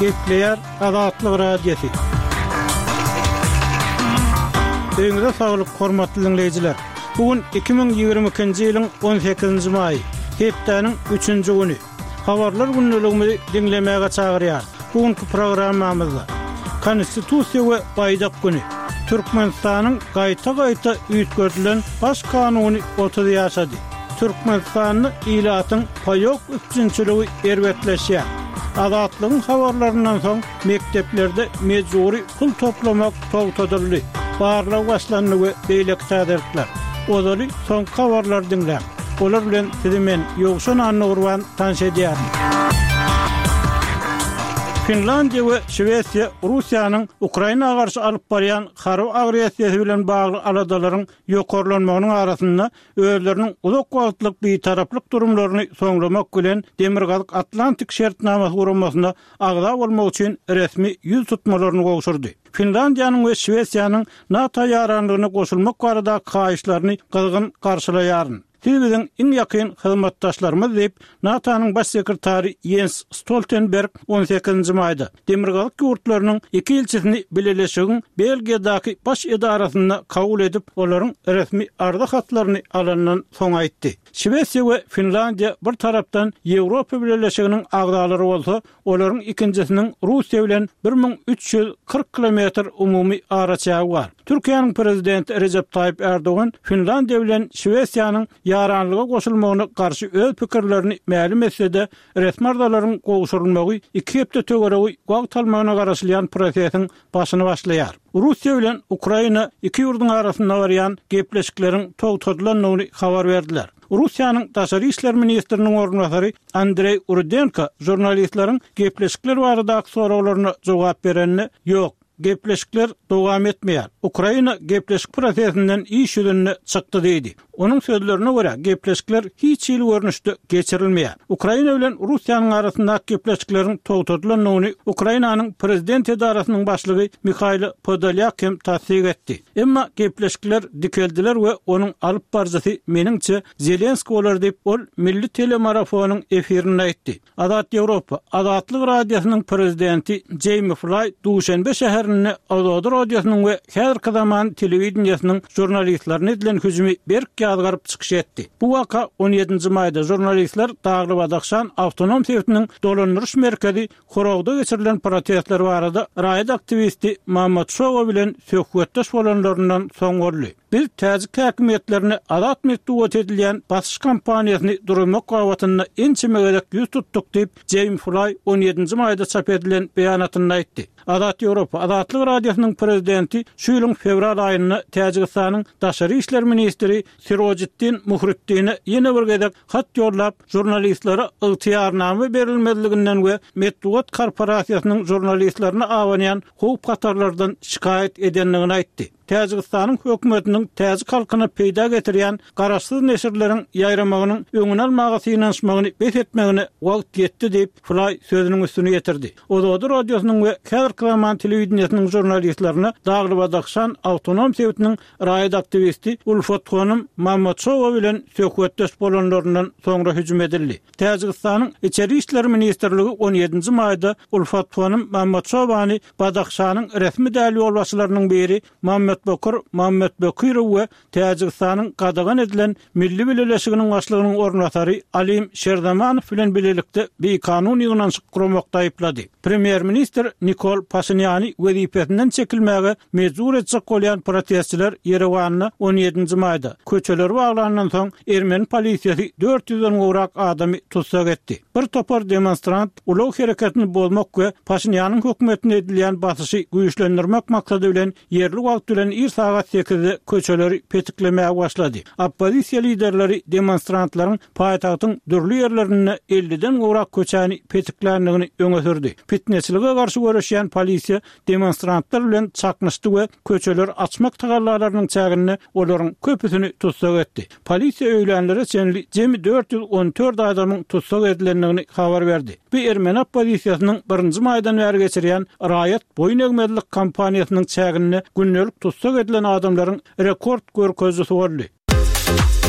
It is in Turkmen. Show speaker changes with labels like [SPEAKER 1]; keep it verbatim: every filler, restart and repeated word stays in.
[SPEAKER 1] Gepleýär Azatlyk Radiosy. Öýüňize saglyk, hormatly diňleýjiler. Bu gün iki müň ýigrimi ikinji ýylyň on sekizinji maýy, hepdäniň üçünji güni. Habarlar gündeligimizi diňlemäge çagyrýarys. Bu günki programmamyzda Konstitusiýa we baýdak güni, Türkmenistanyň gaýta-gaýta üýtgedilen Baş kanuny otuz ýaşady. Türkmenistanda ilatyň paýok üpjünçiligi erbetleşýär. Azatlygyň habarlaryndan soň mekdeplerde mejbury pul toplamak togtadyldy. Barlag başlandy we beýleki täzelikler. Ozaly soňky habarlary diňläň. Olar bilen sizi men, Ýowşan Annagurban tanyş edýärin. Finlandiýa we Şwesiýa Russiýanyň Ukraina garşy alyp barýan harby agressiýasy bilen bagly aladalaryň ýokarlanmagynyň arasynda özleriniň uzak wagtlyk bitaraplyk durumlaryny soňlamak bilen Demirgazyk Atlantik şertnamasy guramasyna agza bolmak üçin resmi ýüz tutmalaryny gowşurdy. Finlandiýanyň we Şwesiýanyň NATO ýaranlygyna goşulmak baradaky haýyşlaryny gyzgyn garşylaýaryn. Siz biziň iň ýakyn hyzmatdaşlarymyz diýip, NATO-nyň baş sekretary Ýens Stoltenberg on sekizinji maýda Demirgazyk ýurtlarynyň iki ilçisini bileleşigiň Belgiýadaky baş edarasynda kabul edip, olaryň resmi arza hatlaryny alandan soň aýtdy. Şwesiýa we Finlandiýa bir tarapdan Ýewropa Bileleşiginiň agzalary bolsa, olaryň ikinjisiniň Russiýa bilen bir müň üç ýüz kyrk kilometr umumy araçägi bar. Türkiýäniň prezidenti Rejep Taýyp Ärdogan Finlandiýa bilen Şwesiýanyň ýaranlyga goşulmagyna garşy öz pikirlerini mälim etse-de, resmi arzalaryň gowşurylmagy iki hepde töweregi wagt almagyna garaşylýan prosesiň başyny başlaýar. Russiýa bilen Ukraina iki ýurduň arasynda barýan gepleşikleriň togtadylandygyny habar berdiler. Russiýanyň Daşary işler ministriniň orunbasary Andreý Rudenko žurnalistleriň gepleşikler baradaky soraglaryna jogap berende, Ýok, gepleşikler dowam etmeýär. Ukraina gepleşik prosesinden iş ýüzünde çykdy diýdi. Onuň sözlerine görä, gepleşikler hiç hili görnüşde geçirilmeýär. Ukraina bilen Russiýanyň arasyndaky gepleşikleriň togtadylandygyny Ukrainanyň prezident edarasynyň başlygy Mihailo Podolýak hem tassyk etdi. Emma gepleşikler dikeldiler we onuň alyp baryjysy meniňçe Zelenskiý bolar diýip, ol milli telemarafonyň efirinde aýtdy. Azat Ýewropa, Azatlyk Radiosynyň prezidenti Jeými Flaý Duşenbe şäherinde Ozodi radiosynyň we häzirki zaman telewideniýesiniň žurnalistlerine edilen hüjümi berk ýazgaryp çykyş etdi. Bu waka on ýedinji maýda žurnalistler Dagly-Badahşan awtonom sebitiniň dolandyryş merkezi Horogda geçirilen protestler barada raýat aktiwisti Mamat Şowa bilen söhbetdeş bolanlaryndan soň boldy. Biz täjik häkimiýetlerine azat metbugat edilýän basyş kampaniýasyny durmak babatynda ençeme gezek ýüz tutduk diýip, Jeými Flaý on ýedinji maýda çap edilen beýanatynda aýtdy. Azat Ýewropa, Azatlyk Radiosynyň prezidenti şu ýylyň fewral aýynda Täjigistanyň daşary işler ministri Sirojiddin Muhriddine ýene bir gezek hat ýollap, žurnalistlere ygtyýarnama berilmezliginden we metbugat korporasiýasynyň žurnalistlerine abanýan howp-hatarlardan şikaýat edendigini aýtdy. Täjigistanyň hökümetiniň täjik halkyna peýda getirýän garaşsyz neşirleriň ýaýramagynyň öňüni almaga synanyşmagyny bes etmegine wagt ýetdi diýip, Flaý sözüniň üstüni ýetirdi. Ozodi radiosynyň we häzirki zaman telewideniýesiniň žurnalistlerine Dagly-Badahşan awtonom sebitiniň raýat aktiwisti Ulfathonym Mamatşowa bilen söhbetdeş bolanlaryndan soňra hüjüm edildi. Täjigistanyň Içeri işler ministrligi on ýedinji maýda Ulfathonym Mamatşowany Badahşanyň resmi däl ýolbaşçylarynyň biri Mammetbokir Mammetbekirow we Täjigistanyň gadagan edilen Milli Bileleşiginiň başlygynyň orunbasary Alim Şerzamanow bilen bilelikde bikanun ýygnanyşyk guramakda aýyplady. Premýer-ministr Nikol Paşinýany wezipesinden çekilmäge mejbur etjek bolýan protestçiler Ýerewanda on ýedinji maýda köçeleri baglandan soň ermeni polisiýasy dört ýüzden gowrak adamy tussag etdi. Bir topar demonstrant ulag hereketini bozmak we Paşinýanyň hökümetine edilýän basyşy güýçlendirmek maksady bilen ýerli wagt bilen ir sagat sekizde köçeleri petiklemäge başlady. Oppozisiýa liderleri demonstrantlaryň paýtagtyň dürli ýerlerinde elliden gowrak köçäni petikländigini öňe sürdi. Pitneçilige garşy göreşýän polisiýa demonstrantlar bilen çaknyşdy we köçeleri açmak tagallalarynyň çäginde olaryň köpüsini tussag etdi. Polisiýa öýlänlere çenli jemi dört ýüz on dört adamyň tussag edilendigini habar berdi. Bu ermeni oppozisiýasynyň birinji maýdan bäri geçirýän raýat boýun egmezlik kampaniýasynyň çäginde gündelik tussag edilen adamlaryň rekord görkezijisi boldy.